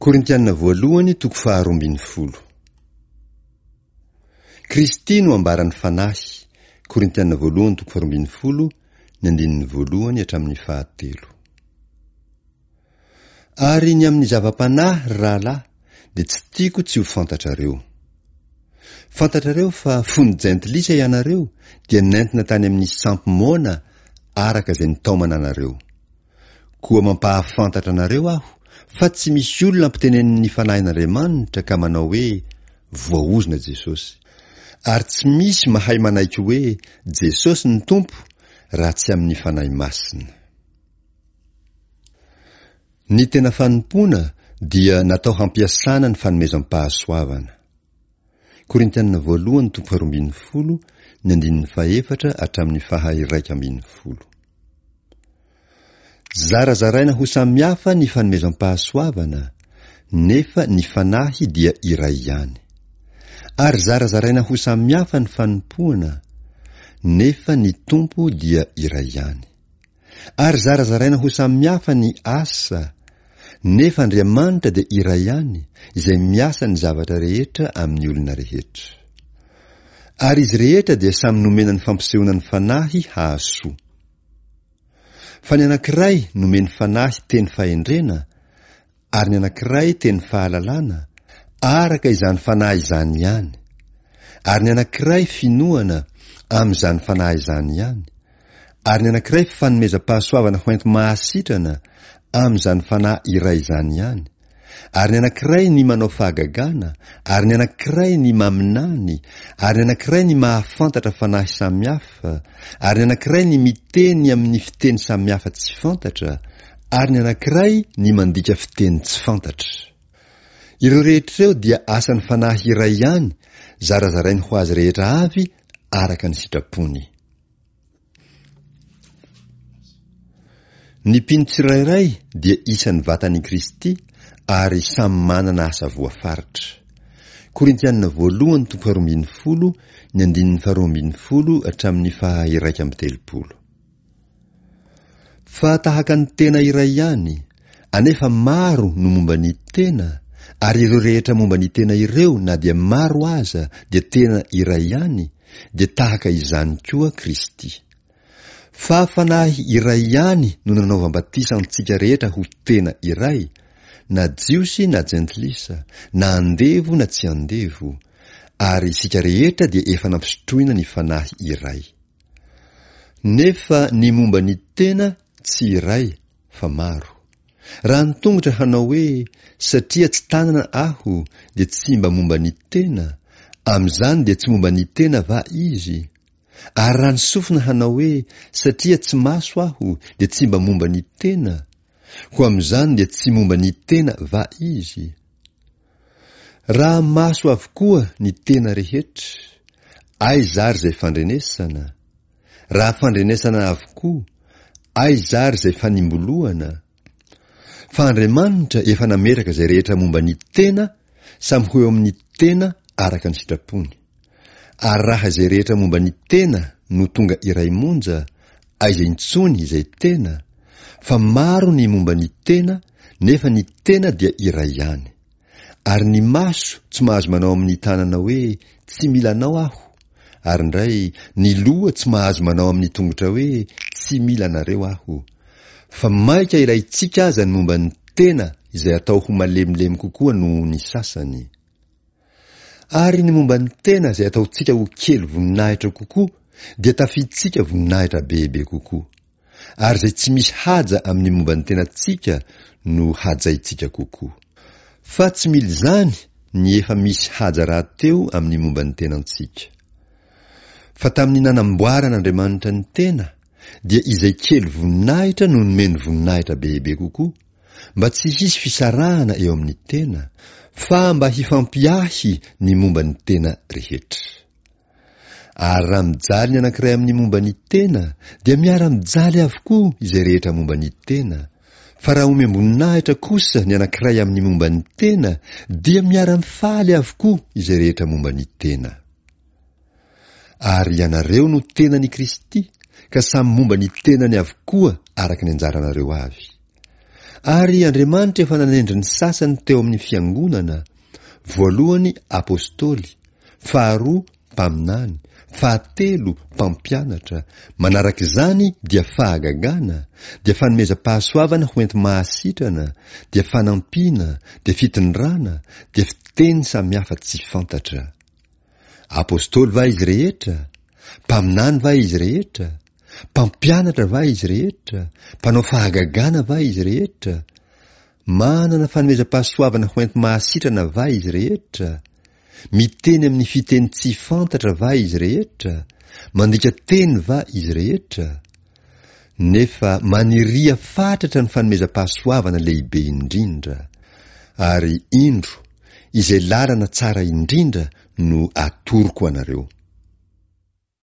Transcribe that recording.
Korintiana voalohany toko faharoa ambin'ny folo. Kristy no ambaran'ny Fanahy, Korintiana voalohany toko faharoa ambin'ny folo, ny andininy voalohany hatramin'ny fahatelo. Ary ny amin'ny zava-panahy, ry rahalahy, dia tsy tiako tsy ho fantatrareo. Fantatrareo fa fony jentilisa ianareo dia nentina tany amin'ny sampy moana araka izay nitaomana anareo. Koa mampahafantatra anareo aho fa tsy misy olona ampitenenin'ny Fanahin'Andriamanitra ka manao hoe, Voaozona Jesosy. Ary tsy misy mahay manaiky hoe Jesosy ny Tompo raha tsy amin'ny Fanahy Masina. Ny tena fanompoana dia natao hampiasana ny fanomezam-pahasoavana. Korintiana voalohany toko faharoa ambin'ny folo, ny andininy fahefatra hatramin'ny faha-iraika ambin'ny folo. Zarazaraina ho samihafa ny fanomezam-pahasoavana, nefa ny Fanahy dia iray ihany. Ary zarazaraina ho samihafa ny fanompoana, nefa ny Tompo dia iray ihany. Ary zarazaraina ho samihafa ny asa, nefa Andriamanitra dia iray ihany, izay miasa ny zavatra rehetra amin'ny olona rehetra. Ary izy rehetra dia samy nomena ny fampisehoana ny Fanahy hahasoa. Fa ny anankiray nomeny Fanahy teny fahendrena, ary ny anankiray teny fahalalana, araka izany Fanahy izany ihany, ary ny anankiray finoana, amin'izany Fanahy izany ihany, ary ny anankiray fanomezam-pahasoavana ho enti-mahasitrana, amin'izany Fanahy iray izany ihany, Ary ny anankiray ny manao fahagagana, ary ny anankiray ny maminany, ary ny anankiray ny mahafantatra fanahy samihafa, ary ny anankiray ny miteny amin'ny fiteny samihafa tsy fantatra, ary ny anankiray ny mandika fiteny tsy fantatra. Ireo rehetra ireo dia asan'ny Fanahy iray ihany, zarazarainy ho azy rehetra avy araka ny sitrapony. Ny mpino tsirairay dia isan'ny vatan'i Kristy ary samy manana asa voafaritra. Korintianina voalohany toko faharoa ambin'ny folo, ny andininy faharoa ambin'ny folo hatramin'ny faha-iraika amby telopolo. Fa tahaka ny tena iray ihany, anefa maro no momba ny tena, ary ireo rehetra momba ny tena ireo na dia maro aza dia tena iray ihany, dia tahaka izany koa Kristy. Fa Fanahy iray ihany no nanaovam-batisa antsika rehetra ho tena iray, na Jiosy na Jentilisa, na andevo na tsy andevo, ary isika rehetra dia efa nampisotroina ny Fanahy iray. Nefa ny momba ny tena tsy iray fa maro. Raha ny tongotra hanao hoe satria tsy tanana aho dia tsy mba momba ny tena, amin'izany dia tsy momba ny tena va izy? Ary raha ny sofina hanao hoe satria tsy maso aho dia tsy mba momba ny tena, koa amin'izany dia tsy momba ny tena va izy? Raha maso avokoa ny tena rehetra, aiza ary izay fandrenesana? Raha fandrenesana avokoa, aiza ary izay fanimbolohana? Fa Andriamanitra efa nametraka izay rehetra momba ny tena samy ho eo amin'ny tena araka ny sitrapony. Ary raha izay rehetra momba ny tena no tonga iray monja, aiza intsony izay tena? Fa maro ny momba ny tena, nefa ny tena dia iray ihany. Ary ny maso tsy mahazo manao amin'ny tanana hoe, Tsy mila anao aho. Ary indray, ny loha tsy mahazo manao amin'ny tongotra hoe, Tsy mila anareo aho. Fa mainka ilaintsika aza ny momba ny tena izay atao ho malemilemy kokoa noho ny sasany. Ary ny momba ny tena izay ataontsika ho kely voninahitra kokoa dia tafintsika voninahitra bebe kokoa. Ary izay tsy misy haja amin'ny momba ny tenantsika no hajaintsika kokoa. Fa tsy mila izany ny efa misy haja rahateo amin'ny momba ny tenantsika. Fa tamin'ny nanamboaran'Andriamanitra ny tena, dia izay kely voninahitra no nomeny voninahitra bebe kokoa, mba tsy hisy fisarahana eo amin'ny tena, fa mba hifampiahy ny momba ny tena rehetra. Ary raha mijaly ny anankiray amin'ny momba ny tena, dia miara-mijaly avokoa izay rehetra momba ny tena, fa raha omem-boninahitra kosa ny anankiray amin'ny momba ny tena, dia miara-mifaly avokoa izay rehetra momba ny tena. Ary ianareo no tenan'i Kristy, ka samy momba ny tenany avokoa araka ny anjaranareo avy. Ary Andriamanitra efa nanendry ny sasany teo amin'ny fiangonana, voalohany apostoly, faharoa mpaminany, fahatelo mpampianatra, manaraka izany dia fahagagana, dia fanomezam-pahasoavana ho enti-mahasitrana, dia fanampiana, dia fitondrana, dia fiteny samihafa tsy fantatra. Apostoly va izy rehetra? Mpaminany va izy rehetra? Mpampianatra va izy rehetra? Mpanao fahagagana va izy rehetra? Manana fanomezam-pahasoavana ho enti-mahasitrana va izy rehetra? Miteny amin'ny fiteny tsy fantatra va izy rehetra? Mandika teny va izy rehetra? Nefa maniria fatratra ny fanomezam-pahasoavana lehibe indrindra. Ary indro, izay lalana tsara indrindra no atoroko anareo.